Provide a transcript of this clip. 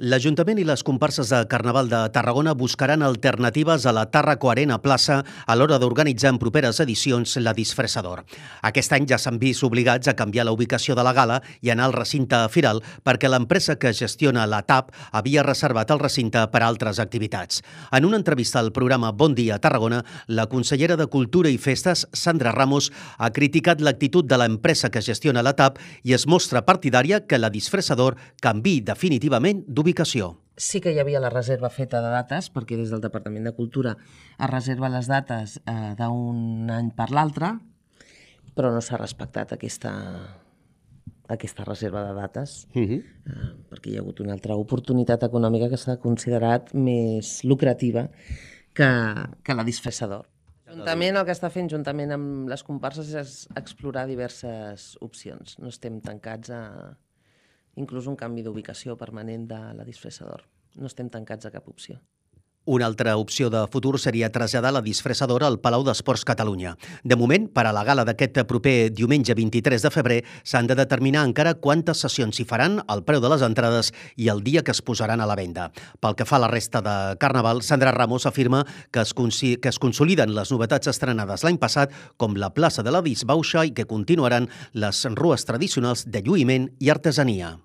L'Ajuntament i les comparses de Carnaval de Tarragona buscaran alternatives a la Tàrraco Arena Plaça a l'hora d'organitzar en properes edicions la Disfressador. Aquest any ja s'han vist obligats a canviar la ubicació de la gala i anar al recinte firal perquè l'empresa que gestiona la TAP havia reservat el recinte per a altres activitats. En una entrevista al programa Bon Dia Tarragona, la consellera de Cultura i Festes, Sandra Ramos, ha criticat l'actitud de l'empresa que gestiona la TAP i es mostra partidària que la Disfressador canviï definitivament d'ubicació. Sí que hi havia la reserva feta de dates, perquè des del Departament de Cultura es reserva les dates d'un any per l'altre, però no s'ha respectat aquesta reserva de dates, perquè hi ha hagut una altra oportunitat econòmica que s'ha considerat més lucrativa que la Disfressador. L'Ajuntament el que està fent juntament amb les comparses és explorar diverses opcions. No estem tancats a inclús un canvi d'ubicació permanent de la Disfressador. No estem tancats a cap opció. Una altra opció de futur seria traslladar la Disfressadora al Palau d'Esports Catalunya. De moment, per a la gala d'aquest proper diumenge 23 de febrer, s'han de determinar encara quantes sessions s'hi faran, el preu de les entrades i el dia que es posaran a la venda. Pel que fa a la resta de Carnaval, Sandra Ramos afirma que es consoliden les novetats estrenades l'any passat, com la plaça de la Disbauxa, i que continuaran les rues tradicionals de lluïment i artesania.